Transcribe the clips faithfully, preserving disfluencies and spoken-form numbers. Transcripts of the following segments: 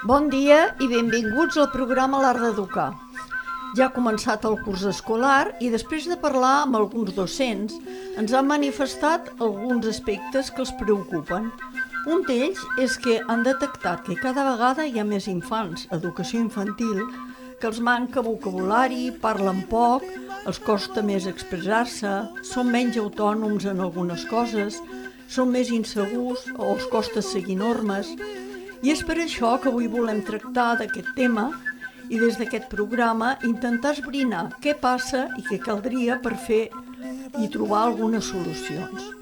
Bon dia i benvinguts al programa L'Art d'Educar. Ja ha començat el curs escolar i després de parlar amb alguns docents ens han manifestat alguns aspectes que els preocupen. Un d'ells és que han detectat que cada vegada hi ha més infants, educació infantil, que els manca vocabulari, parlen poc, els costa més expressar-se, són menys autònoms en algunes coses, són més insegurs o els costa seguir normes. I és per això que avui volem tractar d'aquest tema i des d'aquest programa intentar esbrinar què passa i què caldria per fer i trobar algunes solucions.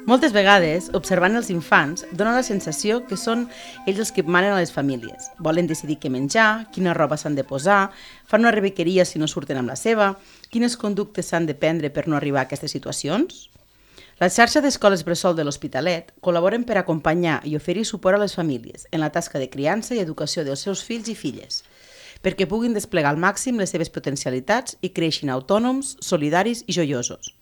Moltes vegades, observant els infants, dona la sensació que són ells els que manen a les famílies. Volen decidir què menjar, quina roba s'han de posar, fan una rebequeria si no surten amb la seva, quines conductes s'han de prendre per no arribar a aquestes situacions. La xarxa d'escoles bressol de l'Hospitalet col·laboren per acompanyar i oferir suport a les famílies en la tasca de criança i educació dels seus fills i filles, perquè puguin desplegar al màxim les seves potencialitats i creixin autònoms, solidaris i joiosos.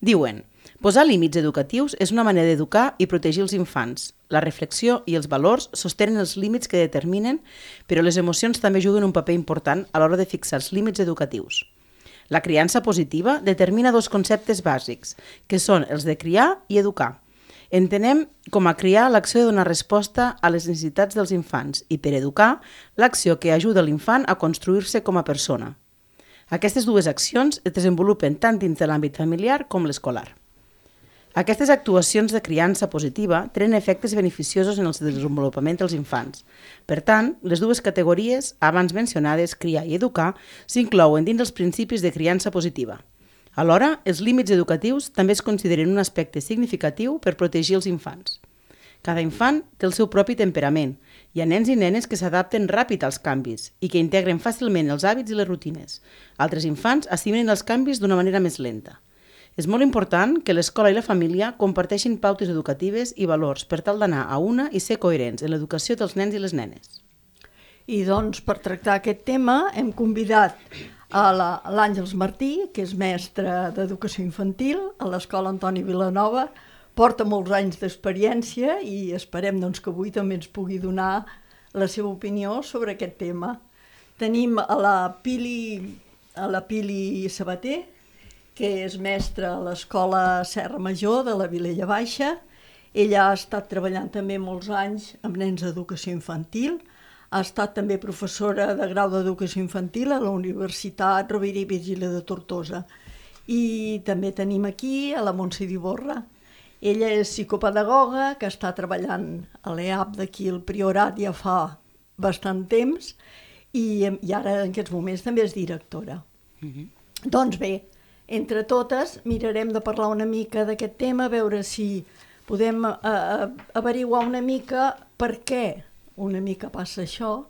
Diuen, posar límits educatius és una manera d'educar i protegir els infants. La reflexió i els valors sostenen els límits que determinen, però les emocions també juguen un paper important a l'hora de fixar els límits educatius. La criança positiva determina dos conceptes bàsics, que són els de criar i educar. Entenem com a criar l'acció de donar resposta a les necessitats dels infants i per educar l'acció que ajuda l'infant a construir-se com a persona. Aquestes dues accions es desenvolupen tant dins de l'àmbit familiar com l'escolar. Aquestes actuacions de criança positiva tenen efectes beneficiosos en el desenvolupament dels infants. Per tant, les dues categories, abans mencionades, criar i educar, s'inclouen dins els principis de criança positiva. Alhora, els límits educatius també es consideren un aspecte significatiu per protegir els infants. Cada infant té el seu propi temperament. Hi ha nens i nenes que s'adapten ràpid als canvis i que integren fàcilment els hàbits i les rutines. Altres infants assimilen els canvis d'una manera més lenta. És molt important que l'escola i la família comparteixin pautes educatives i valors per tal d'anar a una i ser coherents en l'educació dels nens i les nenes. I doncs, per tractar aquest tema, hem convidat a l'Àngels Martí, que és mestre d'educació infantil a l'Escola Antoni Vilanova, porta molts anys d'experiència i esperem doncs, que avui també ens pugui donar la seva opinió sobre aquest tema. Tenim a la Pili, a la Pili Sabater, que és mestra a l'Escola Serra Major de la Vilella Baixa. Ella ha estat treballant també molts anys amb nens d'educació infantil, ha estat també professora de grau d'educació infantil a la Universitat Rovira i Virgili de Tortosa. I també tenim aquí a la Montse d'Ivorra. Ella és psicopedagoga, que està treballant a l'E A P d'aquí al Priorat ja fa bastant temps i, i ara en aquests moments també és directora. Mm-hmm. Doncs bé, entre totes mirarem de parlar una mica d'aquest tema, a veure si podem eh, averiguar una mica per què una mica passa això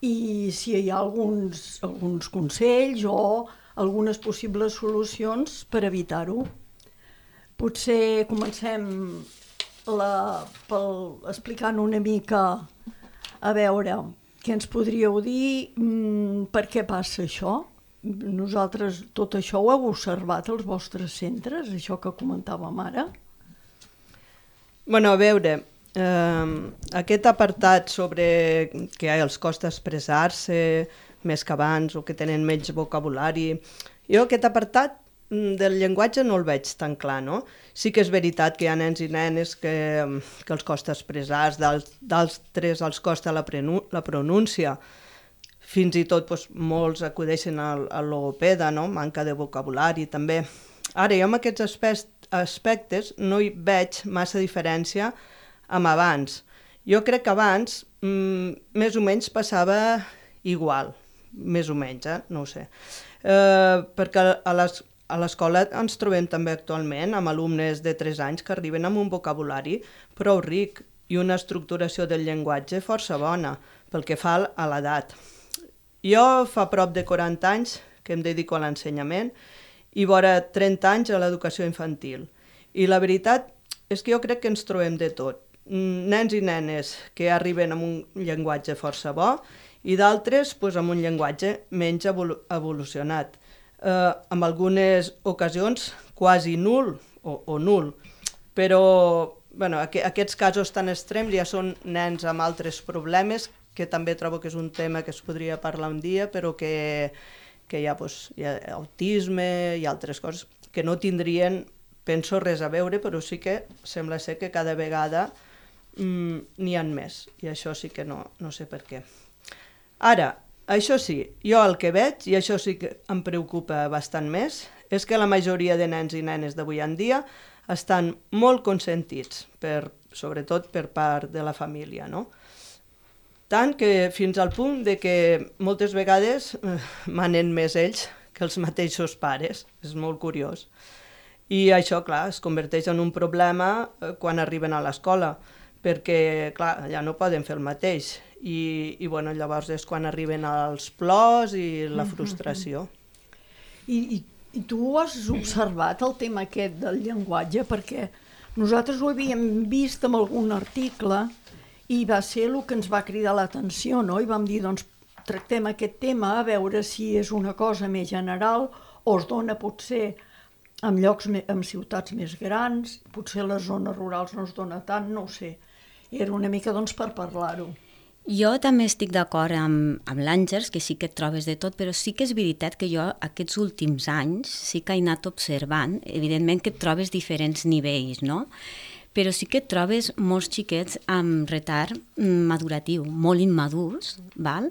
i si hi ha alguns, alguns consells o algunes possibles solucions per evitar-ho. Potser comencem la, pel, explicant una mica a veure què ens podríeu dir, mmm, per què passa això. Nosaltres tot això ho heu observat als vostres centres, això que comentàvem ara? Bueno, a veure, eh, aquest apartat sobre que els costa expressar-se més que abans o que tenen menys vocabulari, jo aquest apartat del llenguatge no el veig tan clar, no? Sí que és veritat que hi ha nens i nenes que, que els costa expressar, d'altres els costa la, la pronúncia, fins i tot doncs, molts acudeixen al, al logopeda, no? Manca de vocabulari també. Ara, jo amb aquests aspectes, aspectes no hi veig massa diferència amb abans. Jo crec que abans mm, més o menys passava igual, més o menys, eh? No ho sé. Eh, perquè a les A l'escola ens trobem també actualment amb alumnes de tres anys que arriben amb un vocabulari prou ric i una estructuració del llenguatge força bona pel que fa a l'edat. Jo fa prop de quaranta anys que em dedico a l'ensenyament i vora trenta anys a l'educació infantil. I la veritat és que jo crec que ens trobem de tot. Nens i nenes que arriben amb un llenguatge força bo i d'altres doncs, amb un llenguatge menys evolu- evolucionat. eh, en algunes ocasions quasi nul o, o nul, però bueno, aqu aquests casos tan extrems ja són nens amb altres problemes, que també trobo que és un tema que es podria parlar un dia, però que, que hi ha, doncs, hi ha autisme i altres coses que no tindrien, penso, res a veure, però sí que sembla ser que cada vegada mm, n'hi ha més, i això sí que no, no sé per què. Ara, això sí, jo el que veig, i això sí que em preocupa bastant més, és que la majoria de nens i nenes d'avui en dia estan molt consentits, per, sobretot per part de la família, no? Tant que fins al punt de que moltes vegades eh, manen més ells que els mateixos pares, és molt curiós. I això, clar, es converteix en un problema eh, quan arriben a l'escola, perquè, clar, ja no poden fer el mateix. I, i bueno, llavors és quan arriben els plors i la frustració. I, i, i tu has observat el tema aquest del llenguatge? Perquè nosaltres ho havíem vist en algun article i va ser el que ens va cridar l'atenció, no? I vam dir, doncs, tractem aquest tema a veure si és una cosa més general o es dona potser en llocs, en ciutats més grans, potser a les zones rurals no es dona tant, no ho sé. Era una mica, doncs, per parlar-ho. Jo també estic d'acord amb, amb l'Àngels, que sí que et trobes de tot, però sí que és veritat que jo aquests últims anys sí que he anat observant, evidentment que et trobes diferents nivells, no? Però sí que et trobes molts xiquets amb retard maduratiu, molt immadurs, val?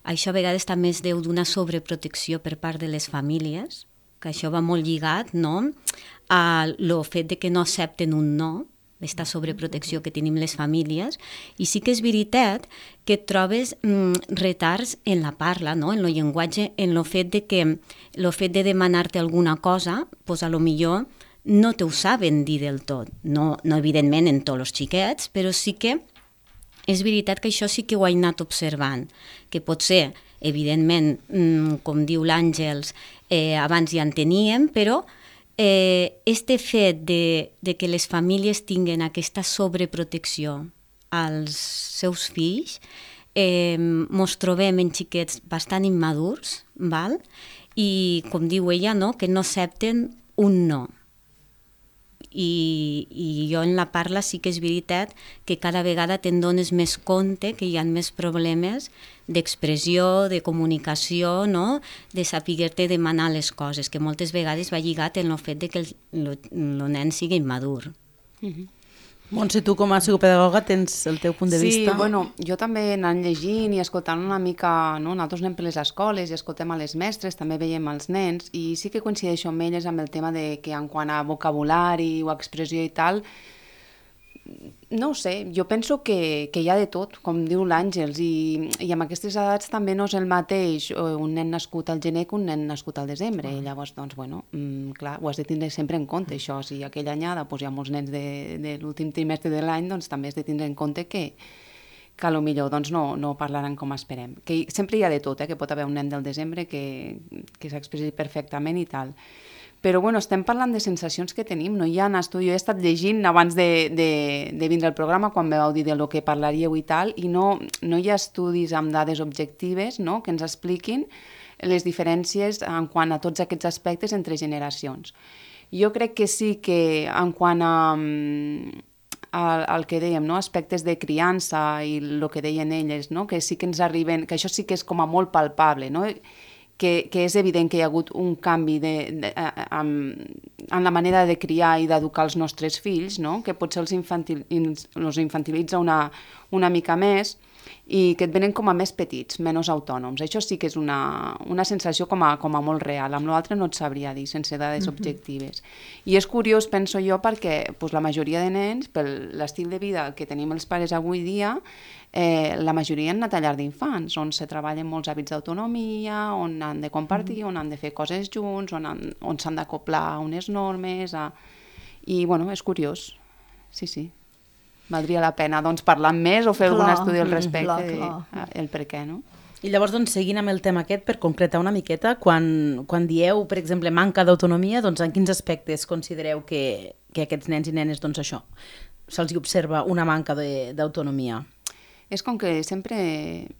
Això a vegades també es deu d'una sobreprotecció per part de les famílies, que això va molt lligat, no?, a lo fet de que no accepten un no, aquesta sobreprotecció que tenim les famílies, i sí que és veritat que et trobes mm, retards en la parla, no?, en el llenguatge, en el fet de que el fet de demanar-te alguna cosa, doncs a lo millor no te ho saben dir del tot, no, no evidentment en tots els xiquets, però sí que és veritat que això sí que ho he anat observant, que potser, evidentment, mm, com diu l'Àngels, eh, abans ja en teníem, però eh, este fet de, de que les famílies tinguen aquesta sobreprotecció als seus fills, eh, mos trobem en xiquets bastant immadurs, val? I com diu ella, no?, que no accepten un no. I, i jo en la parla sí que és veritat que cada vegada te'n dones més compte que hi ha més problemes d'expressió, de comunicació, no?, de saber-te demanar les coses, que moltes vegades va lligat en el fet de que el, el, el nen sigui immadur. Mm-hmm. Montse, tu com a psicopedagoga tens el teu punt de vista? Sí, bueno, jo també anant llegint i escoltant una mica, no? Nosaltres anem per les escoles i escoltem a les mestres, també veiem els nens, i sí que coincideixo amb elles amb el tema de que en quant a vocabulari o expressió i tal, no ho sé, jo penso que, que hi ha de tot, com diu l'Àngels, i, i amb aquestes edats també no és el mateix un nen nascut al gener que un nen nascut al desembre. I llavors, doncs, bueno, mm, clar, ho has de tindre sempre en compte, això. Si aquella anyada doncs, hi ha molts nens de, de l'últim trimestre de l'any, doncs també has de tindre en compte que, que a lo millor doncs, no, no parlaran com esperem. Que sempre hi ha de tot, eh? Que pot haver un nen del desembre que, que s'expressi perfectament i tal. Però bueno, estem parlant de sensacions que tenim, no hi ha estudi. Jo he estat llegint abans de, de, de vindre al programa, quan me vau dir del que parlaríeu i tal, i no, no hi ha estudis amb dades objectives, no?, que ens expliquin les diferències en quant a tots aquests aspectes entre generacions. Jo crec que sí que en quant a, a, al que dèiem, no?, aspectes de criança i el que deien elles, no?, que sí que ens arriben, que això sí que és com a molt palpable, no?, Que, que és evident que hi ha hagut un canvi de, de, en, en la manera de criar i d'educar els nostres fills, no?, que potser els, infantil, els infantilitza una, una mica més i que et venen com a més petits, menys autònoms. Això sí que és una, una sensació com a, com a molt real. Amb l'altre no et sabria dir, sense dades mm-hmm. objectives. I és curiós, penso jo, perquè pues, la majoria de nens, per l'estil de vida que tenim els pares avui dia, eh, la majoria han anat a llar d'infants, on se treballen molts hàbits d'autonomia, on han de compartir, mm-hmm. on han de fer coses junts, on, han, on s'han d'acoplar a unes normes... A... I, bueno, és curiós. Sí, sí. Valdria la pena doncs, parlar més o fer clar, algun estudi al respecte, clar, clar. De, el per què, no? I llavors, doncs, seguint amb el tema aquest, per concretar una miqueta, quan, quan dieu, per exemple, manca d'autonomia, doncs en quins aspectes considereu que, que aquests nens i nenes, doncs això, se'ls observa una manca d'autonomia? és com que sempre...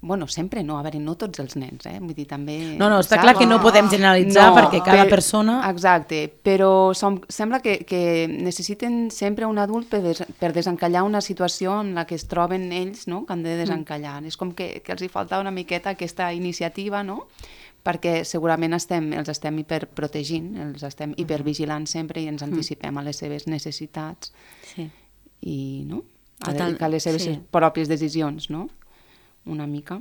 Bueno, sempre no, a veure, no tots els nens, eh? Vull dir, també... No, no, està clar que no podem generalitzar no, perquè cada per, persona... Exacte, però som, sembla que, que necessiten sempre un adult per, des, per desencallar una situació en la que es troben ells, no?, que han de desencallar. Mm. És com que, que els hi falta una miqueta aquesta iniciativa, no?, perquè segurament estem, els estem hiperprotegint, els estem hipervigilant sempre i ens anticipem a les seves necessitats sí. i no? a, Total, a les seves sí. pròpies decisions, no? Una mica.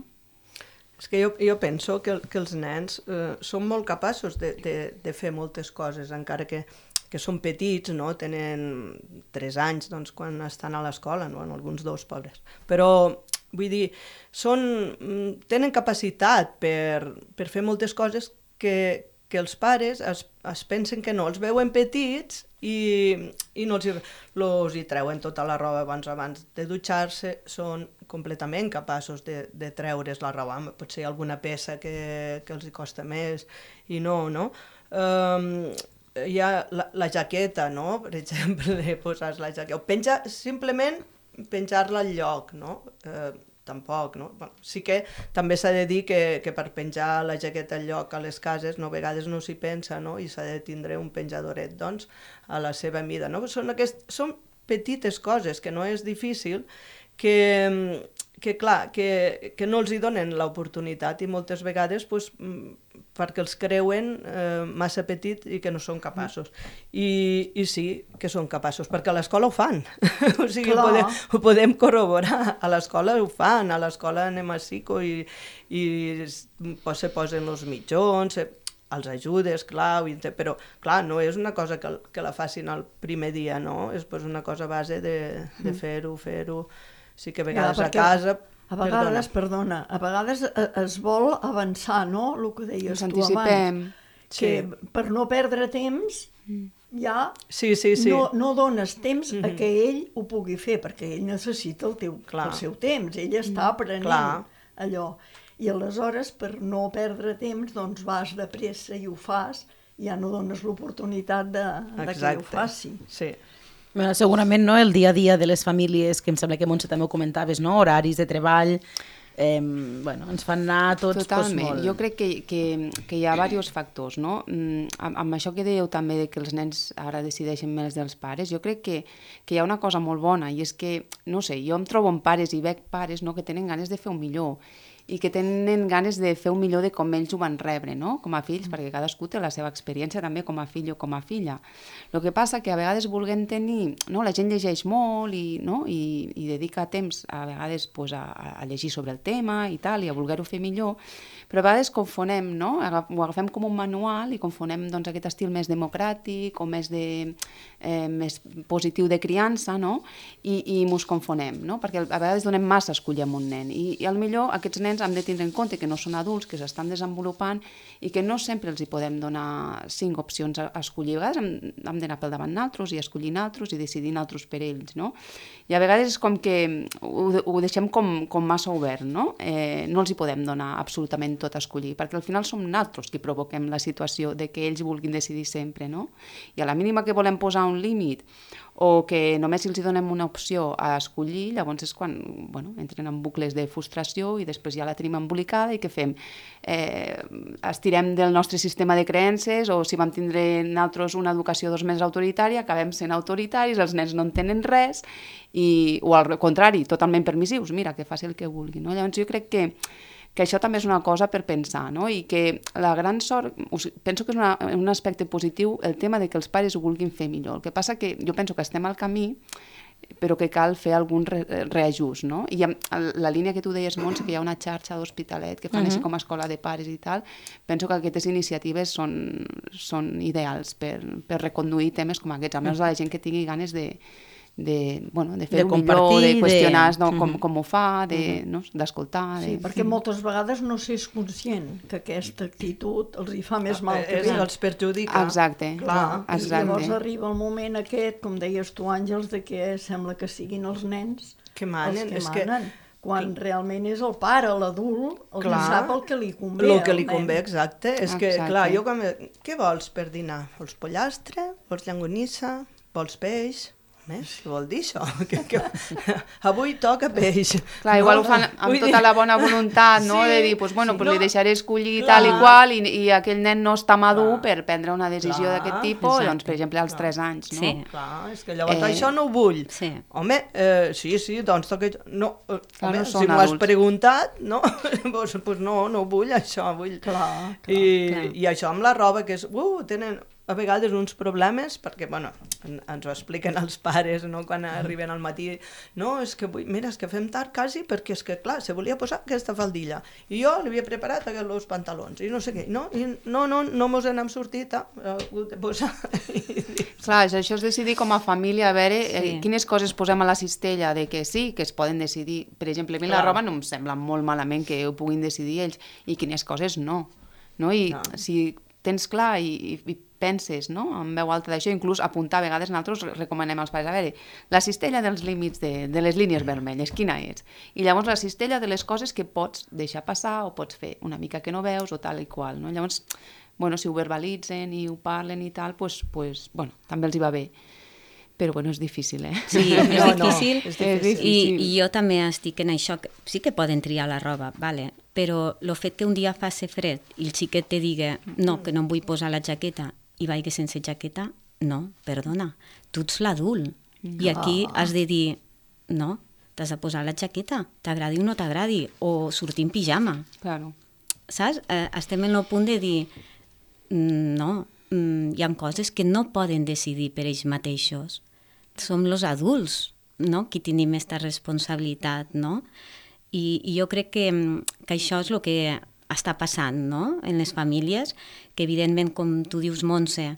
És que jo, jo penso que, que els nens eh, són molt capaços de, de, de fer moltes coses, encara que, que són petits, no? Tenen tres anys doncs, quan estan a l'escola, no? En alguns dos, pobres. Però vull dir, són, tenen capacitat per, per fer moltes coses que, que els pares es, es pensen que no, els veuen petits i, i no els hi, los hi treuen tota la roba abans, abans de dutxar-se, són completament capaços de, de treure's la roba, potser alguna peça que, que els hi costa més i no, no? Um, hi ha la, la jaqueta, no? Per exemple, posar la jaqueta, o penja simplement penjar-la al lloc, no? Eh, tampoc, no? Bueno, sí que també s'ha de dir que, que per penjar la jaqueta al lloc a les cases, no, a vegades no s'hi pensa, no? I s'ha de tindre un penjadoret, doncs, a la seva mida, no? Són, aquest, són petites coses que no és difícil, que, que clar, que, que no els hi donen l'oportunitat i moltes vegades, doncs, perquè els creuen eh, massa petit i que no són capaços. I, i sí que són capaços, perquè a l'escola ho fan. O sigui, ho podem, ho podem corroborar. A l'escola ho fan, a l'escola anem a psico i, i se posen els mitjons, els ajudes, clar, però clar, no és una cosa que, que la facin el primer dia, no? És pues, una cosa a base de, de fer-ho, fer-ho. Sí que a vegades ja, a casa... A vegades, perdona, a vegades es vol avançar, no?, el que deies tu abans. Sí. Que per no perdre temps ja sí, sí, sí. No, no dones temps mm-hmm. a que ell ho pugui fer, perquè ell necessita el, teu, el seu temps, ell està aprenent Clar. allò. I aleshores, per no perdre temps, doncs vas de pressa i ho fas, i ja no dones l'oportunitat de, de que ho faci. Sí. Bueno, segurament no, el dia a dia de les famílies, que em sembla que Montse també ho comentaves, no? Horaris de treball, eh, bueno, ens fan anar tots pues, molt... Jo crec que, que, que hi ha diversos factors, no? Amb, amb això que dèieu també de que els nens ara decideixen més dels pares, jo crec que, que hi ha una cosa molt bona, i és que, no sé, jo em trobo amb pares i veig pares, no?, que tenen ganes de fer un millor, i que tenen ganes de fer un millor de com ells ho van rebre, no?, com a fills, mm. perquè cadascú té la seva experiència també com a fill o com a filla. El que passa que a vegades vulguem tenir... No? La gent llegeix molt i, no? I, i dedica temps a vegades pues, a, a llegir sobre el tema i tal, i a voler-ho fer millor, però a vegades confonem, no? Ho agafem com un manual i confonem doncs, aquest estil més democràtic o més, de, eh, més positiu de criança, no? I, i mos confonem, no? Perquè a vegades donem massa a escollir amb un nen, i, i al millor aquests nens hem de tindre en compte que no són adults, que s'estan desenvolupant i que no sempre els hi podem donar cinc opcions a escollir. A vegades hem, hem d'anar pel davant naltros i escollir naltros i decidir naltros per ells, no? I a vegades és com que ho, ho deixem com, com massa obert, no? Eh, no els hi podem donar absolutament tot a escollir, perquè al final som naltros qui provoquem la situació de que ells vulguin decidir sempre, no? I a la mínima que volem posar un límit o que només els donem una opció a escollir, llavors és quan bueno, entren en bucles de frustració i després ja la tenim embolicada i què fem? Eh, estirem del nostre sistema de creences o si vam tindre nosaltres una educació dos més autoritària, acabem sent autoritaris, els nens no entenen res i, o al contrari, totalment permissius, mira, que faci el que vulgui. No? Llavors jo crec que que això també és una cosa per pensar, no? I que la gran sort, penso que és una, un aspecte positiu el tema de que els pares ho vulguin fer millor. El que passa que jo penso que estem al camí, però que cal fer algun re, reajust, no? I la línia que tu deies, Montse, que hi ha una xarxa d'Hospitalet que fan uh-huh. així com a escola de pares i tal, penso que aquestes iniciatives són, són ideals per, per reconduir temes com aquests, a més de la gent que tingui ganes de de, bueno, de fer-ho millor, de qüestionar de... no, com, com ho fa, d'escoltar... De, no, sí, de... perquè moltes vegades no s'és conscient que aquesta actitud els hi fa més mal que bé. Els perjudica. Exacte. Clar, exacte. I llavors arriba el moment aquest, com deies tu, Àngels, de que sembla que siguin els nens que manen, els que és manen. Que... quan realment és el pare, l'adult, el clar, que sap el que li convé. El que li convé, exacte. És exacte. Que, clar, jo com... Què vols per dinar? Vols pollastre? Vols llangonissa? Vols peix? home, què vol dir això? Que, que, avui toca peix. Clar, igual no, ho fan amb tota dir... la bona voluntat, no? Sí, de dir, pues, bueno, sí, pues no, li deixaré escollir clar, tal i qual, i, i aquell nen no està madur clar, per prendre una decisió d'aquest tipus, doncs, per exemple, als tres anys, no? Sí. Clar, és que llavors eh... això no ho vull. Sí. Home, eh, sí, sí, doncs toca... No, eh, clar, home, no si m'ho has preguntat, no? pues, pues no, no vull això, vull... Clar, clar, I, clar. I això amb la roba, que és... Uh, tenen... a vegades uns problemes, perquè, bueno, ens ho expliquen els pares, no?, quan arriben al matí, no, és que, vull, mira, és que fem tard quasi, perquè és que, clar, se volia posar aquesta faldilla, i jo li havia preparat aquests pantalons, i no sé què, no, i no, no, no mos n'hem sortit, ha hagut de posar. Clar, això és decidir com a família, a veure sí. eh, quines coses posem a la cistella, de que sí, que es poden decidir. Per exemple, a mi la roba no em sembla molt malament que ho puguin decidir ells, i quines coses no, no? I no. si tens clar i, i, i penses, no?, en veu alta d'això, inclús apuntar, a vegades nosaltres recomanem als pares, a veure, la cistella dels límits de, de les línies vermelles, quina és? I llavors la cistella de les coses que pots deixar passar o pots fer una mica que no veus o tal i qual, no? Llavors, bueno, si ho verbalitzen i ho parlen i tal, pues, pues, bueno, també els hi va bé. Però, bueno, és difícil, eh? Sí, és no, difícil, no, és difícil. I, i jo també estic en això, que sí que poden triar la roba, vale? Però el fet que un dia faci fred i el xiquet te digui no, que no em vull posar la jaqueta i vagi sense jaqueta, no, perdona, tu ets l'adult. No. I aquí has de dir, no, t'has de posar la jaqueta, t'agradi o no t'agradi, o sortir en pijama. Claro. Saps? Eh, estem en el punt de dir, no, hi ha coses que no poden decidir per ells mateixos. Som els adults, no?, qui tenim aquesta responsabilitat, no? I, i jo crec que, que això és el que està passant, no?, en les famílies, que evidentment, com tu dius, Montse,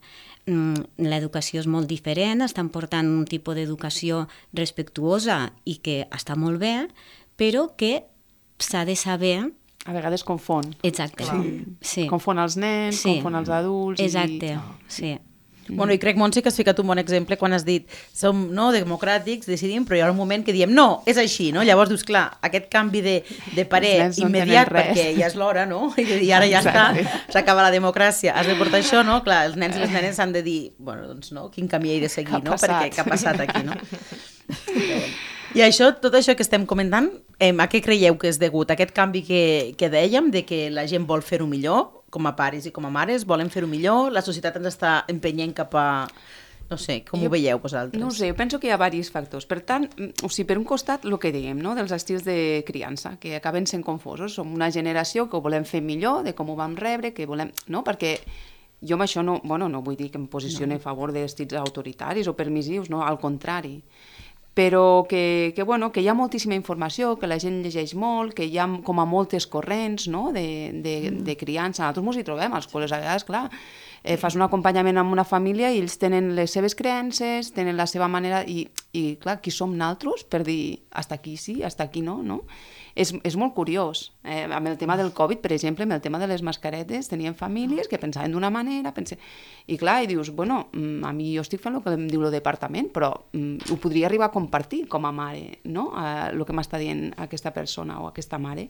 l'educació és molt diferent, estan portant un tipus d'educació respectuosa i que està molt bé, però que s'ha de saber... A vegades confon. Exacte. Sí. Sí. Confon els nens, sí. confon els adults... Exacte, i... sí. Bueno, i crec, Montse, que has ficat un bon exemple quan has dit som no, democràtics, decidim, però hi ha un moment que diem no, és així, no? Llavors dius, clar, aquest canvi de, de parer immediat, no perquè ja és l'hora, no? I ara ja està, s'acaba la democràcia, has de portar això, no? Clar, els nens i les nenes han de dir, bueno, doncs no, quin camí he de seguir, no? Perquè què ha passat aquí, no? I això, tot això que estem comentant, eh, a què creieu que és degut? Aquest canvi que, que dèiem, de que la gent vol fer-ho millor, com a pares i com a mares, volen fer-ho millor, la societat ens està empenyent cap a... No sé, com jo, ho veieu vosaltres? No ho sé, jo penso que hi ha diversos factors. Per tant, o sigui, per un costat, el que dèiem, no?, dels estils de criança, que acaben sent confosos. Som una generació que ho volem fer millor, de com ho vam rebre, que volem... No?, perquè jo amb això no, bueno, no vull dir que em posicione no. a favor d'estils autoritaris o permissius, no?, al contrari. Però que, que, bueno, que hi ha moltíssima informació, que la gent llegeix molt, que hi ha com a moltes corrents, no?, de, de, de criança. Nosaltres ens hi trobem, als col·les a vegades, clar, eh, fas un acompanyament amb una família i ells tenen les seves creences, tenen la seva manera, i, i clar, qui som nosaltres per dir hasta aquí sí, hasta aquí no, no? És, és molt curiós. Eh, amb el tema del Covid, per exemple, amb el tema de les mascaretes, tenien famílies que pensaven d'una manera, pense... i clar, i dius, bueno, a mi jo estic fent el que em diu el departament, però mm, ho podria arribar a compartir com a mare, no?, eh, el que m'està dient aquesta persona o aquesta mare.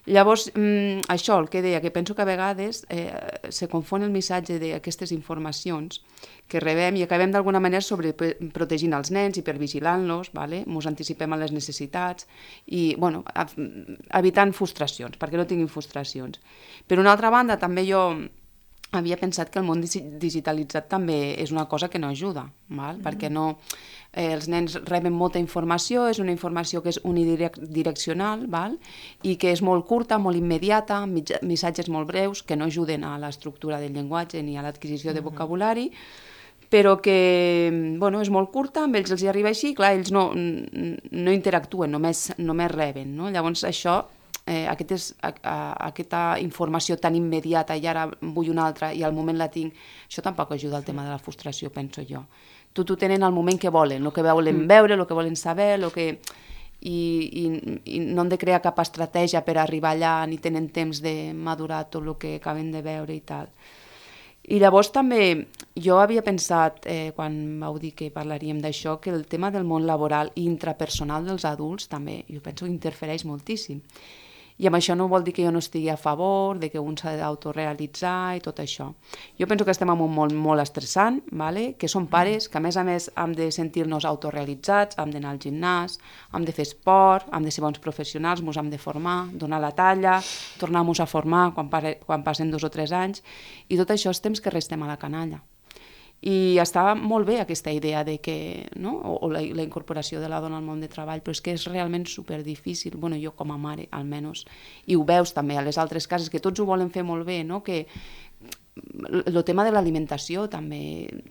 Llavors, mm, això, el que deia, que penso que a vegades eh, se confon el missatge d'aquestes informacions que rebem i acabem d'alguna manera sobreprotegint els nens i per vigilant-los, vale? Mos anticipem a les necessitats i, bueno, evitant frustracions, perquè no tinguin frustracions. Per una altra banda, també jo havia pensat que el món digitalitzat també és una cosa que no ajuda, val? Mm. Perquè no... Eh, els nens reben molta informació, és una informació que és unidireccional, val? I que és molt curta, molt immediata, missatges molt breus, que no ajuden a l'estructura del llenguatge ni a l'adquisició de vocabulari, però que, bueno, és molt curta, amb ells els hi arriba així, clar, ells no, no interactuen, només, només reben, no? Llavors això, eh, aquest és, a, a, aquesta informació tan immediata i ara vull una altra i al moment la tinc, això tampoc ajuda al tema de la frustració, penso jo. Tot ho tenen al moment que volen, el que volen veure, el que volen saber, el que... I, i, i no han de crear cap estratègia per arribar allà, ni tenen temps de madurar tot el que acaben de veure i tal. I llavors també, jo havia pensat, eh, quan vau dir que parlaríem d'això, que el tema del món laboral i intrapersonal dels adults també, jo penso que interfereix moltíssim. I amb això no vol dir que jo no estigui a favor, de que un s'ha d'autorealitzar i tot això. Jo penso que estem en un món molt estressant, vale? Que som pares, que a més a més hem de sentir-nos autorealitzats, hem d'anar al gimnàs, hem de fer esport, hem de ser bons professionals, ens hem de formar, donar la talla, tornar-nos a formar quan, pare, quan passen dos o tres anys, i tot això és temps que restem a la canalla. I està molt bé aquesta idea de que, no? o, o la, la incorporació de la dona al món de treball, però és que és realment superdifícil, bueno, jo com a mare almenys, i ho veus també a les altres cases, que tots ho volen fer molt bé, no? Que el tema de l'alimentació també,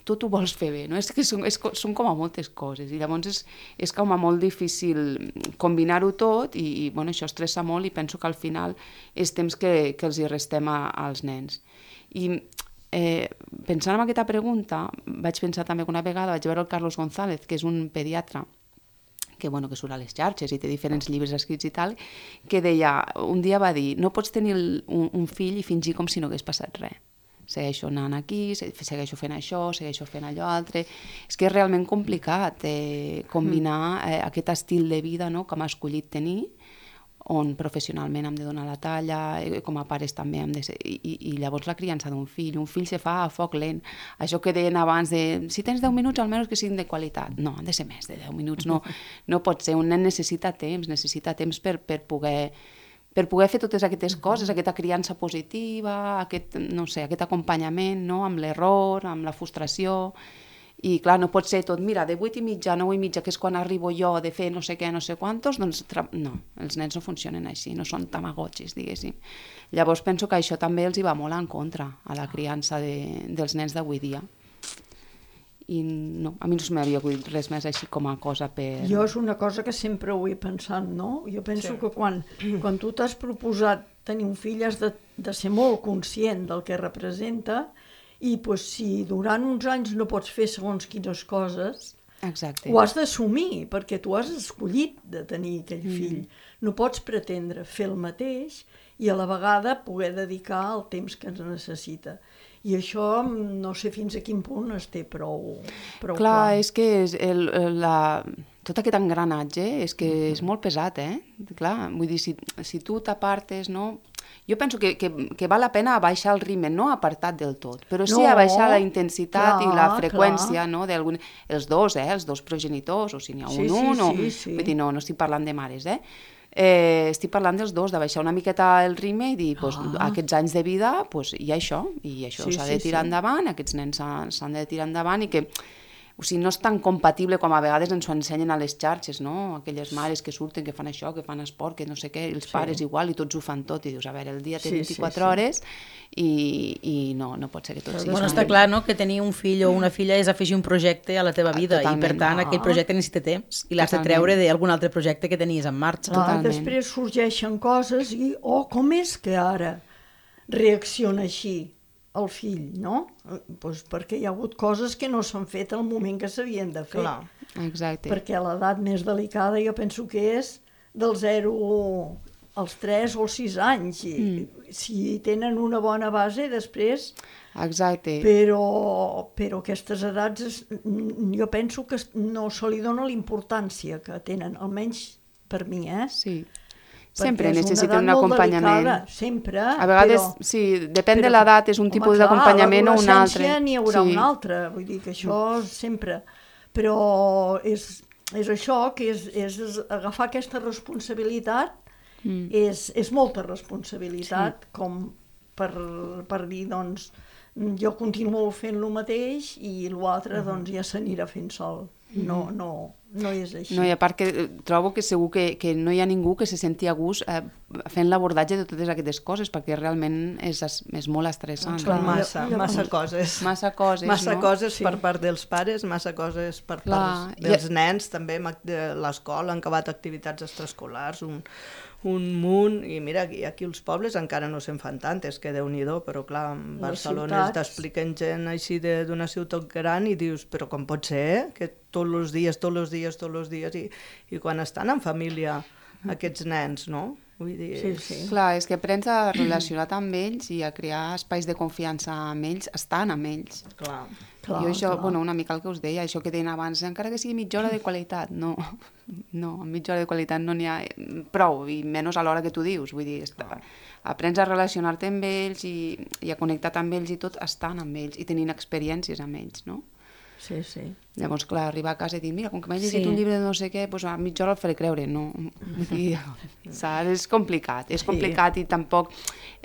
tot ho vols fer bé, no? És que són, és, són com a moltes coses, i llavors és, és com a molt difícil combinar-ho tot, i, i bueno, això estressa molt, i penso que al final és temps que, que els hi restem a, als nens. I Eh, pensant en aquesta pregunta, vaig pensar també que una vegada vaig veure el Carlos González, que és un pediatre que, bueno, que surt a les xarxes i té diferents llibres escrits i tal, que deia, un dia va dir, no pots tenir un, un fill i fingir com si no hagués passat res. Segueixo anant aquí, segueixo fent això, segueixo fent allò altre. És que és realment complicat eh, combinar eh, aquest estil de vida, no?, que m'ha escollit tenir, on professionalment hem de donar la talla, com a pares també hem de ser... I, i llavors la criança d'un fill, un fill se fa a foc lent. Això que deien abans de, si tens deu minuts, almenys que siguin de qualitat. No, han de ser més de deu minuts, no, no pot ser. Un nen necessita temps, necessita temps per, per poder... per poder fer totes aquestes coses, aquesta criança positiva, aquest, no sé, aquest acompanyament, no?, amb l'error, amb la frustració. I clar, no pot ser tot, mira, de vuit i mitja a nou i mitja, que és quan arribo jo de fer no sé què, no sé quantos, doncs no, els nens no funcionen així, no són tamagotxis, diguéssim. Llavors penso que això també els hi va molt en contra a la criança de, dels nens d'avui dia. I no, a mi no se m'havia acudit res més així com a cosa per... Jo és una cosa que sempre ho he pensat, no? Jo penso Sí. que quan, quan tu t'has proposat tenir un fill has de, de ser molt conscient del que representa, i pues, si durant uns anys no pots fer segons quines coses, Exacte. ho has d'assumir, perquè tu has escollit de tenir aquell fill. Mm. No pots pretendre fer el mateix i a la vegada poder dedicar el temps que ens necessita. I això no sé fins a quin punt es té prou, prou clar. Clar, és que és el, la, tot aquest engranatge és que és molt pesat, eh? Clar, vull dir, si, si tu t'apartes, no... Jo penso que, que, que val la pena baixar el ritme, no apartat del tot, però sí No, a baixar la intensitat clar, i la freqüència, clar. no, d'algun... Els dos, eh? Els dos progenitors, o si n'hi ha un, Sí, sí, un, o... sí, sí. Vull dir, no, no estic parlant de mares, eh? Eh, estic parlant dels dos, de baixar una miqueta el ritme i dir, pues, Ah. aquests anys de vida, pues, hi ha això, i això Sí, s'ha sí, de tirar sí. endavant, aquests nens s'han s'han de tirar endavant, i que o sigui, no és tan compatible com a vegades ens ho ensenyen a les xarxes, no? Aquelles mares que surten, que fan això, que fan esport, que no sé què, els Sí. pares igual, i tots ho fan tot, i dius, a veure, el dia té Sí, sí, vint-i-quatre sí. hores, i, i no, no pot ser que tot sigui... Bueno, així. està clar, no?, que tenir un fill o una filla és afegir un projecte a la teva vida, Totalment. i per tant aquell projecte necessita temps, i l'has de Totalment. treure d'algun altre projecte que tenies en marxa. Clar, Totalment. després sorgeixen coses i, oh, com és que ara reacciona així el fill, no? Pues perquè hi ha hagut coses que no s'han fet al moment que s'havien de fer. Clar. Exacte. Perquè l'edat més delicada jo penso que és del zero als tres o als sis anys. I, mm. Si tenen una bona base, després... Exacte. Però, però aquestes edats, es, jo penso que no se li dona la importància que tenen, almenys per mi, eh? Sí. Perquè Sempre és una necessiten edat un molt acompanyament. delicada, sempre, A vegades, però... sí, depèn però- de l'edat, és un tipus Home, d'acompanyament clar, o un altre. a l'adolescència n'hi haurà Sí. un altre, vull dir que això sempre... Però és, és això, que és, és agafar aquesta responsabilitat, Mm. és, és molta responsabilitat, sí. com per, per dir, doncs, jo continuo fent el mateix i l'altre, uh-huh. doncs, ja s'anirà fent sol. No, no, no és així. No, i a part que eh, trobo que segur que, que no hi ha ningú que se senti a gust eh, fent l'abordatge de totes aquestes coses, perquè realment és, és molt estressant. Són Clar, no? massa, llavors- massa coses. Massa coses, Massa no? coses Sí. per part dels pares, massa coses per Clar, part i- dels nens, també amb act- de l'escola, han acabat activitats extraescolars, un, un munt, i mira, aquí, aquí els pobles encara no se'n fan tantes, que Déu-n'hi-do, però clar, en Les Barcelona ciutats. t'expliquen gent així de- d'una ciutat gran i dius, però com pot ser, eh? Que tots els dies, tots els dies, tots els dies, i, i quan estan en família aquests nens, no? Vull dir... Sí, sí. Clar, és que aprens a relacionar amb ells i a crear espais de confiança amb ells, estan amb ells. Clar. Clar, jo això, clar. bueno, una mica el que us deia, això que deien abans, encara que sigui mitja hora de qualitat, no, no, amb mitja hora de qualitat no n'hi ha prou, i menys a l'hora que tu dius, vull dir, està, aprens a relacionar-te amb ells i, i a connectar amb ells i tot estan amb ells i tenint experiències amb ells, no? Sí, sí. Llavors, clar, arribar a casa i dir, mira, com que m'he llegit Sí. un llibre de no sé què, doncs a mitja hora el faré creure. No, vull dir, saps? És complicat, és complicat i tampoc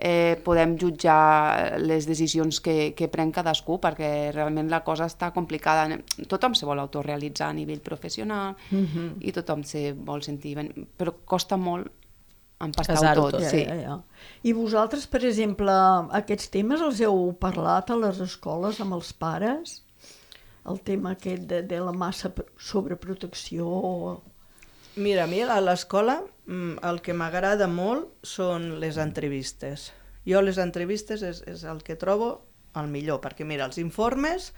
eh, podem jutjar les decisions que, que pren cadascú, perquè realment la cosa està complicada. Tothom se vol autorrealitzar a nivell professional Mhm. i tothom se vol sentir ben... Però costa molt empastar-ho Casar-ho tot. tot. Sí. Ja, ja, ja. I vosaltres, per exemple, aquests temes els heu parlat a les escoles amb els pares? El tema aquest de, de la massa pr- sobreprotecció... Mira, a mi a l'escola mm, el que m'agrada molt són les entrevistes. Jo les entrevistes és, és el que trobo el millor, perquè mira, els informes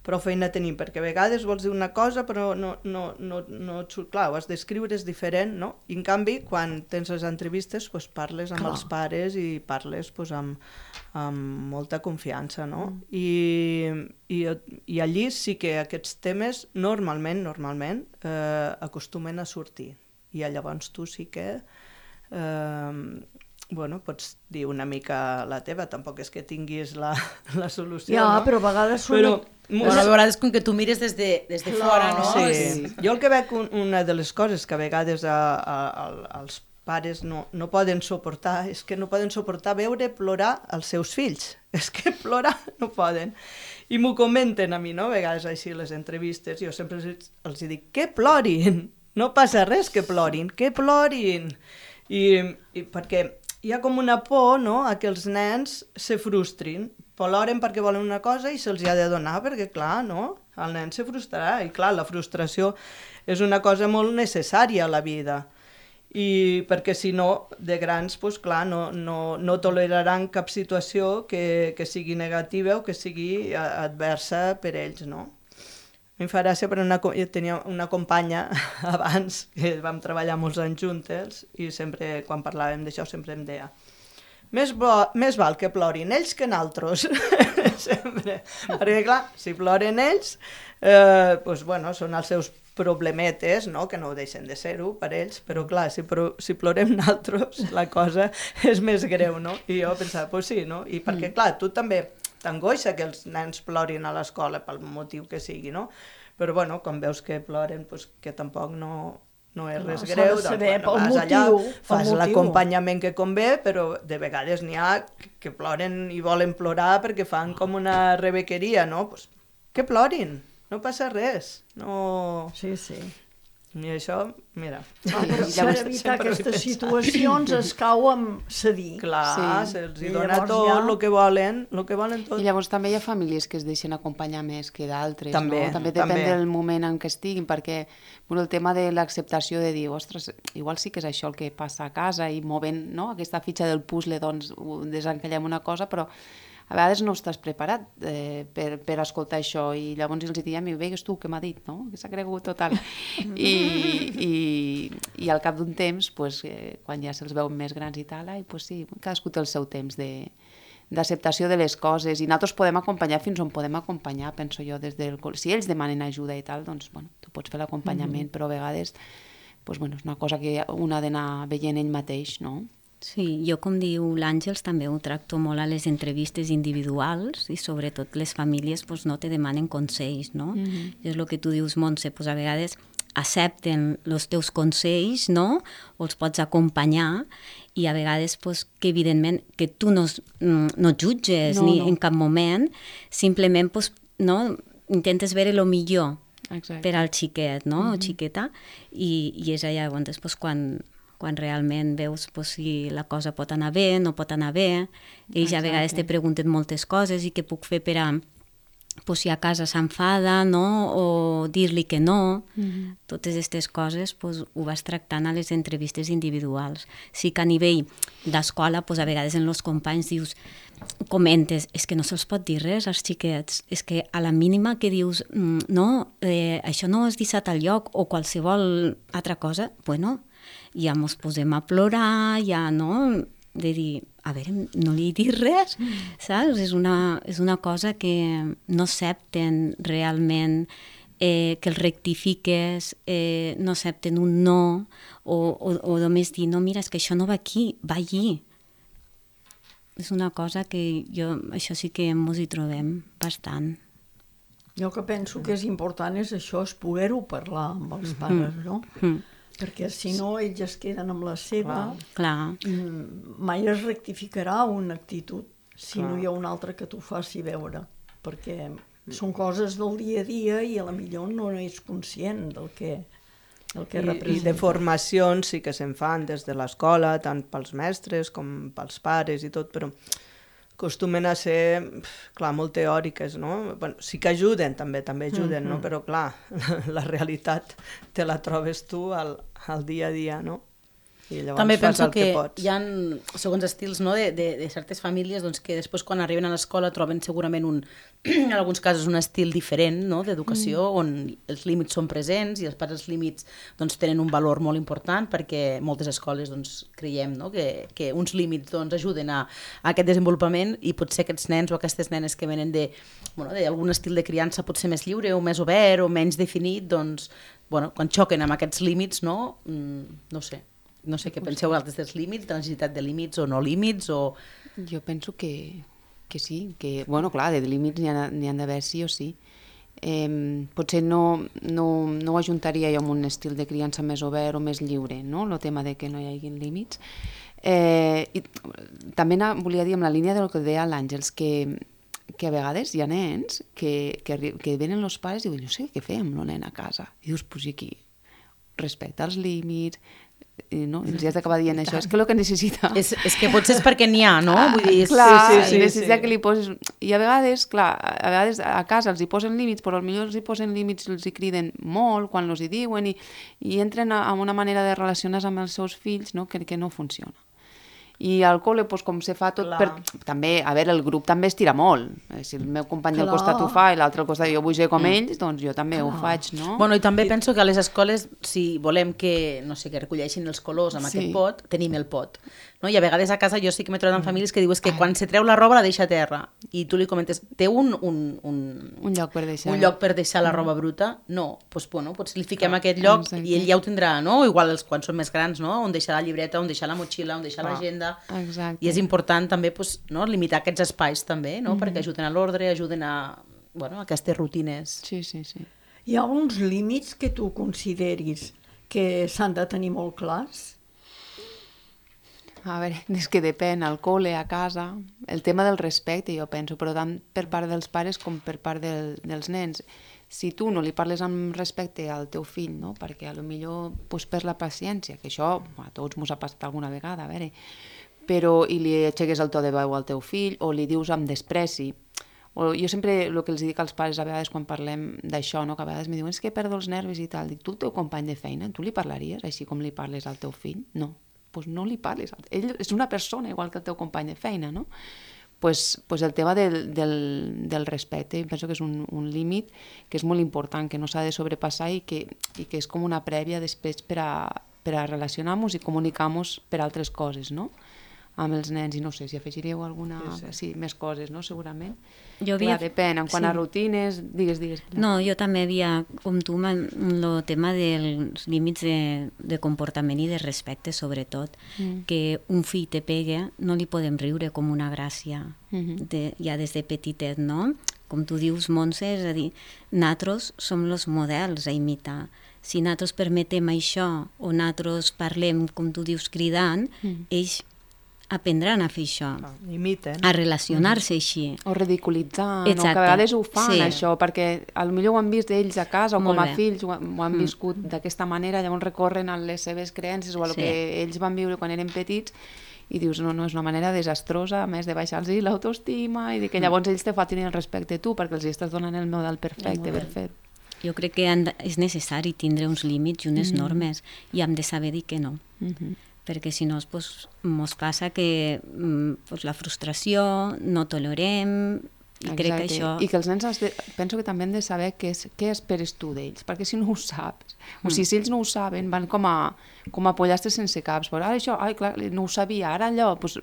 prou feina tenim, perquè a vegades vols dir una cosa però no, no, no, no clar, ho has d'escriure, és diferent, no? I en canvi, quan tens les entrevistes, pues, parles amb Clar. els pares i parles pues, amb, amb molta confiança, no? Mm. I, i, I allí sí que aquests temes normalment, normalment, eh, acostumen a sortir. I llavors tu sí que... Eh, bueno, pots dir una mica la teva, tampoc és que tinguis la, la solució, Ja, no? però a vegades són... Però, Bueno, a vegades com que tu mires des de, des de Clar. fora, no? sí. És- Jo el que veig, un, una de les coses que a vegades a, a, a, els pares no, no poden suportar és que no poden suportar veure plorar els seus fills. És que plorar no poden. I m'ho comenten a mi, no? A vegades així a les entrevistes, jo sempre els, els dic que plorin, no passa res que plorin, que plorin. I, i perquè hi ha com una por, no?, a que els nens se frustrin. Ploren perquè volen una cosa i se'ls ha de donar, perquè, clar, no?, el nen se frustrarà. I, clar, la frustració és una cosa molt necessària a la vida. I perquè, si no, de grans, doncs, clar, no, no, no toleraran cap situació que, que sigui negativa o que sigui adversa per ells, no? A mi em fa gràcia, però una, jo tenia una companya abans, que vam treballar molts anys juntes, i sempre, quan parlàvem d'això, sempre em deia més, bo, més val que plorin ells que naltros. Sempre. Perquè, clar, si ploren ells, eh, doncs, bueno, són els seus problemetes, no?, que no ho deixen de ser-ho per ells, però, clar, si, pro, si plorem naltros, la cosa és més greu, no? I jo pensava, doncs sí, no? I perquè, clar, tu també t'angoixa que els nens plorin a l'escola pel motiu que sigui, no? Però, bueno, quan veus que ploren, doncs que tampoc no, no és res S'ha de greu, saber doncs, bueno, pel vas allà, motiu, pel fas motiu. l'acompanyament que convé, però de vegades n'hi ha que ploren i volen plorar perquè fan com una rebequeria, no? Pues, que plorin, no passa res, no... Sí, sí. I això, mira... Ah, per, per Llavors, evitar sempre ho he aquestes pensat. situacions es cau amb cedir. Clar, Sí. se'ls I dona llavors tot ja- el que volen, el que volen tot. I llavors també hi ha famílies que es deixen acompanyar més que d'altres, També, no? També depèn també. del moment en què estiguin, perquè bueno, el tema de l'acceptació de dir, ostres, igual sí que és això el que passa a casa i movent, no?, aquesta fitxa del puzzle, doncs ho desencallem una cosa, però a vegades no estàs preparat eh, per, per escoltar això i llavors els diem, veigues tu què m'ha dit, no?, que s'ha cregut total. I, i, i al cap d'un temps, pues, eh, quan ja se'ls veu més grans i tal, ai, pues sí, cadascú té el seu temps de d'acceptació de les coses i nosaltres podem acompanyar fins on podem acompanyar, penso jo, des del... Si ells demanen ajuda i tal, doncs, bueno, tu pots fer l'acompanyament, mm-hmm. però a vegades pues, bueno, és una cosa que un ha d'anar veient ell mateix, no? Sí, jo, com diu l'Àngels, també ho tracto molt a les entrevistes individuals i sobretot les famílies pues, no te demanen consells, no? Mm-hmm. És el que tu dius, Montse, pues, a vegades accepten els teus consells, no? O els pots acompanyar i a vegades pues, que evidentment que tu no, no jutges No, ni no. en cap moment, simplement pues, no? Intentes veure el millor Exacte. per al xiquet, no? Mm-hmm. O xiqueta, i, i és allà llavors, pues, quan, quan realment veus pues, si la cosa pot anar bé, no pot anar bé. Ells a vegades te pregunten moltes coses i què puc fer per a pues, si a casa s'enfada, no? O dir-li que no. Mm-hmm. Totes aquestes coses pues, ho vas tractant a les entrevistes individuals. Sí que a nivell d'escola, pues, a vegades en els companys dius, comentes, és que no se'ls pot dir res als xiquets, és que a la mínima que dius, mm, no, eh, això no és deixat al lloc o qualsevol altra cosa, bueno, ja mos posem a plorar, ja, no? De dir, a veure, no li he dit res, saps? És una, és una cosa que no accepten realment, eh, que el rectifiques, eh, no accepten un no, o, o, o només dir, no, mira, és que això no va aquí, va allí. És una cosa que jo, això sí que mos hi trobem bastant. Jo que penso que és important és això, és poder-ho parlar amb els pares, no? Mm. Perquè si no ells es queden amb la seva, clar. mai es rectificarà una actitud si clar. No hi ha un altre que t'ho faci veure, perquè són coses del dia a dia i a la millor no és conscient del que, del que I, representa. I de formacions sí que se'n fan des de l'escola, tant pels mestres com pels pares i tot, però acostumen a ser, clar, molt teòriques, no? Bueno, sí que ajuden, també, també ajuden, mm-hmm. no? Però, clar, la realitat te la trobes tu al, al dia a dia, no? I llavors també fas penso el que, que pots. hi ha segons estils, no? de, de, de certes famílies doncs, que després quan arriben a l'escola troben segurament un, en alguns casos un estil diferent, no? D'educació mm. on els límits són presents i els pares els límits doncs, tenen un valor molt important perquè moltes escoles doncs, creiem no? que, que uns límits doncs, ajuden a, a aquest desenvolupament i potser aquests nens o aquestes nenes que venen de, bueno, d'algun estil de criança potser més lliure o més obert o menys definit, doncs, bueno, quan xoquen amb aquests límits, no, mm, no sé. No sé què penseu altres dels límits, de la necessitat de límits o no límits, o... Jo penso que, que sí, que, bueno, clar, de límits n'hi ha, n'hi ha d'haver sí o sí. Eh, potser no, no, no ho ajuntaria jo amb un estil de criança més obert o més lliure, no?, el tema de que no hi hagi límits. Eh, i també volia dir, amb la línia del que deia l'Àngels, que, que a vegades hi ha nens que, que, que venen els pares i diuen, no sé què fem amb el nen a casa. I dius, pues aquí, respecta els límits, no? I els has d'acabar dient això, és que el que necessita... És, és que potser és perquè n'hi ha, no? Vull dir, és... Clar, sí, sí, sí, necessita sí. que li poses... I a vegades, clar, a vegades a casa els hi posen límits, però potser els hi posen límits, els hi criden molt quan els hi diuen i, i entren a, a una manera de relacionar-se amb els seus fills, no? que, que no funciona. I al col·le, doncs, com se fa tot per... També, a veure, el grup també estira molt. Si el meu company Clar. del costat ho fa i l'altre al costat jo vull ser com Mm. ells, doncs jo també Clar. Ho faig, no? Bueno, i també penso que a les escoles, si volem que, no sé, que recolleixin els colors amb Sí. aquest pot, tenim el pot. No? I a vegades a casa jo sí que m'he trobat amb famílies que diuen que quan se treu la roba la deixa a terra i tu li comentes, té un, un, un, Un lloc per deixar. un lloc per deixar la roba bruta? No, doncs, bueno, potser li fiquem a aquest lloc Exacte. i ell ja ho tindrà, no? Igual els, quan són més grans, no? On deixar la llibreta, on deixar la motxilla, on deixar l'agenda. Exacte. I és important també pues, no? limitar aquests espais també, no? Mm-hmm. perquè ajuden a l'ordre, ajuden a, bueno, a aquestes rutines. Sí, sí, sí. Hi ha uns límits que tu consideris que s'han de tenir molt clars? A veure, és que depèn, al col·le, a casa, el tema del respecte, jo penso, però tant per part dels pares com per part del, dels nens. Si tu no li parles amb respecte al teu fill, no? perquè a lo millor pues, perds la paciència, que això a tots mos ha passat alguna vegada, a veure, però i li aixeques el to de veu al teu fill o li dius amb despreci. O jo sempre el que els dic als pares a vegades quan parlem d'això, no? que a vegades me diuen és que perdo els nervis i tal, dic, tu el teu company de feina, tu li parlaries així com li parles al teu fill? No. Pues no li parles. Ell és una persona igual que el teu company de feina, no? Pues, pues el tema del, del, del respecte, penso que és un, un límit que és molt important, que no s'ha de sobrepassar i que, i que és com una prèvia després per a, per a relacionar-nos i comunicar-nos per altres coses, no? Amb els nens, i no sé si afegiríeu alguna... Sí, sí. sí més coses, no? Segurament. Jo havia... Clar, depèn, en quant sí. a rutines... Digues, digues. No, jo també havia, com tu, el tema dels límits de, de comportament i de respecte, sobretot, mm. que un fill te pegue, no li podem riure com una gràcia, mm-hmm. de, ja des de petitet, no? Com tu dius, Montse, és a dir, nosaltres som els models a imitar. Si nosaltres permetem això, o nosaltres parlem, com tu dius, cridant, mm. ells aprendran a fer això, Ah, imiten. a relacionar-se mm. així. O ridiculitzant, Exacte. o que a vegades ho fan, Sí. això, perquè potser ho han vist ells a casa o Molt com a bé. fills, ho, han- ho han Mm. viscut d'aquesta manera, llavors recorren a les seves creences o a el Sí. que ells van viure quan eren petits i dius, no, no, és una manera desastrosa, a més de baixar-los l'autoestima i de que llavors ells te faltin el respecte a tu perquè els estàs donant el model perfecte per fer. Jo crec que han de, és necessari tindre uns límits i unes Mm. normes i hem de saber dir que no. Mm-hmm. Perquè si no, pues, mos passa que mm, pues, la frustració, no tolerem I crec que això... I que els nens has de, penso que també han de saber què, és, què esperes tu d'ells, perquè si no ho saps, o sigui, si ells no ho saben, van com a, com a pollastres sense caps, però ara això, ai, clar, no ho sabia, ara allò, doncs,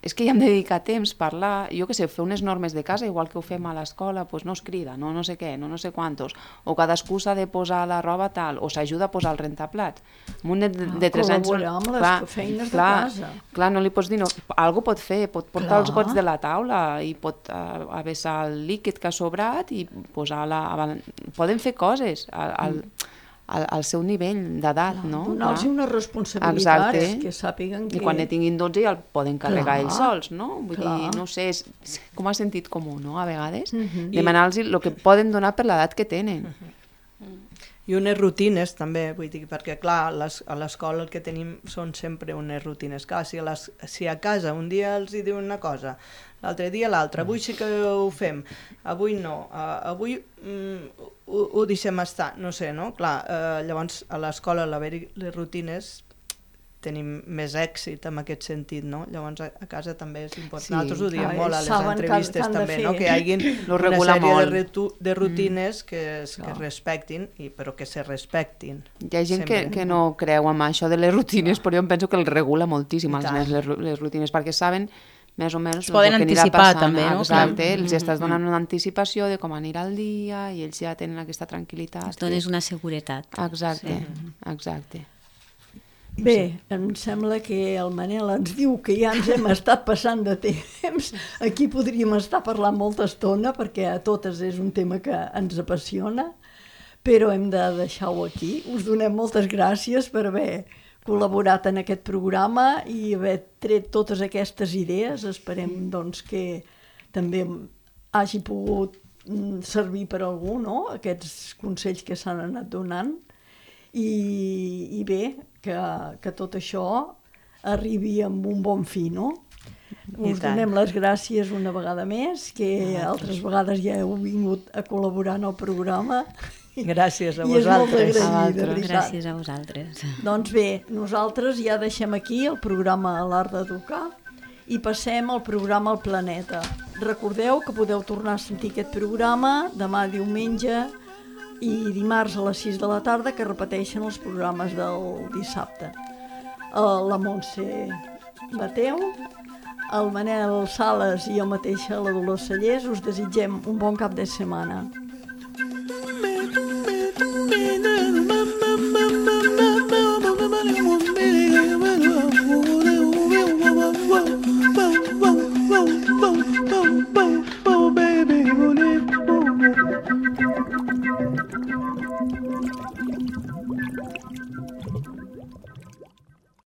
és que hi hem de dedicar temps, parlar, jo què sé, fer unes normes de casa, igual que ho fem a l'escola, doncs no es crida, no no sé què, no no sé quantos, o cadascú s'ha de posar la roba tal, o s'ajuda a posar el rentaplats. Un nen de, de tres anys... Col·laborar amb les clar, feines clar, de casa. Clar, no li pots dir, no, algú pot fer, pot portar clar. els gots de la taula i pot uh, avessar el líquid que ha sobrat i posar la... Poden fer coses al, al, al, al seu nivell d'edat, no? Donar-los unes responsabilitats, exacte. Que sàpiguen que... I quan ne tinguin dotze ja el poden carregar clar, ells sols, no? Vull clar. dir, no sé, és, és com a sentit comú, no?, a vegades. Uh -huh. Demanar-los el que poden donar per l'edat que tenen. Uh -huh. I unes rutines també, vull dir, perquè clar, les, a l'escola el que tenim són sempre unes rutines. Clar, si a, les, si a casa un dia els hi diuen una cosa, l'altre dia l'altra, avui sí que ho fem, avui no, uh, avui mm, ho, ho deixem estar, no sé, no? Clar, uh, llavors a l'escola a l'haver-hi les rutines tenim més èxit en aquest sentit, no? Llavors a, a casa també és important. Sí, nosaltres ho diem clar, molt a les saben entrevistes que han de també, fer. no? Que hi hagi Lo una regula sèrie molt. de, retu, de rutines mm. que, es, que Clar. es respectin, i, però que se respectin. Hi ha gent que, sempre. que no creu en això de les rutines, però jo em penso que el regula moltíssim I als tant. nens les, les rutines, perquè saben més o menys Es poden el que anirà anticipar, passant. també, no? Exacte, Clar. els estàs donant una anticipació de com anirà el dia i ells ja tenen aquesta tranquil·litat. Els dones una seguretat. Exacte, Sí. exacte. Bé, em sembla que el Manel ens diu que ja ens hem estat passant de temps. Aquí podríem estar parlant molta estona perquè a totes és un tema que ens apassiona, però hem de deixar-ho aquí. Us donem moltes gràcies per haver col·laborat en aquest programa i haver tret totes aquestes idees. Esperem doncs, que també hagi pogut servir per a algú, no?, aquests consells que s'han anat donant. I, i bé, que, que tot això arribi amb un bon fi, no? Us donem les gràcies una vegada més, que altres vegades ja heu vingut a col·laborar en el programa. Gràcies a I és molt vosaltres. agraït, de veritat. Gràcies a vosaltres. Doncs bé, nosaltres ja deixem aquí el programa L'Art d'Educar i passem al programa El Planeta. Recordeu que podeu tornar a sentir aquest programa demà diumenge i dimarts a les sis de la tarda, que repeteixen els programes del dissabte. La Montse Mateu, el Manel Sales i jo mateixa, la Dolors Cellers, us desitgem un bon cap de setmana.